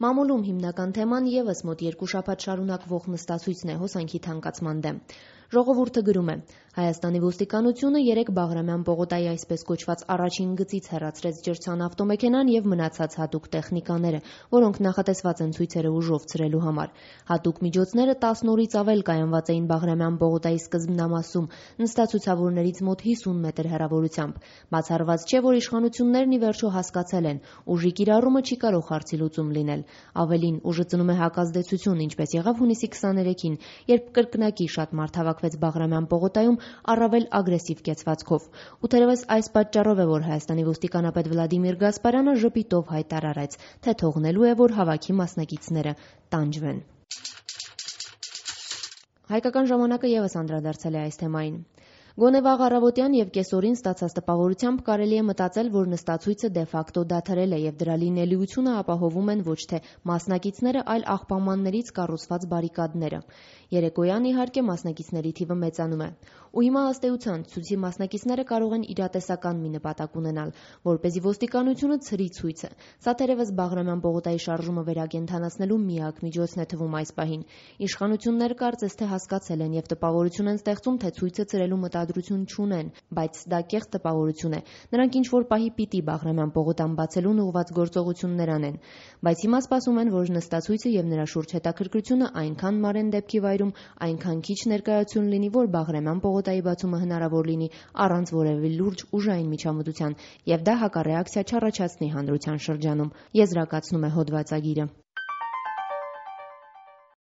Մամուլում հիմնական թեման ևս մոտ 2 շաբաթ շարունակվող նստացույցն է հոսանքի թանկացման դեմ։ Ժողովուրդը գրում է. Հայաստանի ոստիկանությունը 3 Բաղրամյան պողոտայի այսպես կոչված առաջին գծից հեռացրեց ջրցան ավտոմեքենան եւ մնացած հատուկ տեխնիկաները, որոնք նախատեսված են ցույցերը ուժով ցրելու համար։ Հատուկ միջոցները 10 օրից ավել կայանված էին Բաղրամյան պողոտայի սկզբնամասում, նստացուցավորներից մոտ 50 մետր հեռավորությամբ։ Բացառված չէ, որ իշխանություններն ի վերջո հասկացել են, ուժի կիրառումը չի կարող հարցի լուծում լինել։ Ավելին, ուժը ծնում է հակազդեցություն, ինչպես եղավ հունիսի 23-ին, երբ կրկնակի շատ մարդ հավաքվեց Բաղրամյան պողոտայում առավել ագրեսիվ կեցվածքով։ Ու թերևս այս պատճառով է, որ Հայաստանի ոստիկանապետ Վլադիմիր Գասպարյանը ժպիտով հայտարարեց, թե թողնելու է, որ հավաքի մասնակիցները տանջվեն։ Հայկական ժամանակը ևս անդրադարձել է այս թեմային։ Գոնե վաղ առավոտյան եւ կեսօրին ստացած տպավորությամբ կարելի է մտածել, որ նստացույցը դե-ֆակտո դադարել է եւ դրա լինելիությունը ապահովում են ոչ թե մասնակիցները, այլ աղբամաններից կառուցված բարիկադները։ Երեկոյան, իհարկե, մասնակիցների թիվը մեծանում է։ Ու հիմա ըստ էության ցույցի մասնակիցները կարող են իրատեսական մի նպատակ ունենալ, որպեսզի ոստիկանությունը ցրի ցույցը։ Սա թերևս Բաղրամյան պողոտայի շարժումը վերակենդանացնելու միակ միջոցն է թվում այս պահին։ Իշխանությունները կարծես թե հասկացել են եւ տպավորություն են ստեղծում, թե ցույցը ցրելու մտադրություն չունեն, բայց դա կեղծ տպավորություն է։ Նրանք ինչ-որ պահի պիտի Բաղրամյան պողոտան բացելուն ուղղված գործողություններ անեն։ Բայց հիմա սպասում են, որ նստացույցը եւ նրա շուրջ հետաքրքրությունը այնքան մարեն դեպքի վայրում, այնքան քիչ ներկայություն լինի, որ Բաղրամյան պողոտայի բացումը հնարավոր լինի առանց որևէ լուրջ ուժային միջամտության, եւ դա հակառեակցիա չառաջացնի հանրության շրջանում, եզրակացնում է հոդվածագիրը։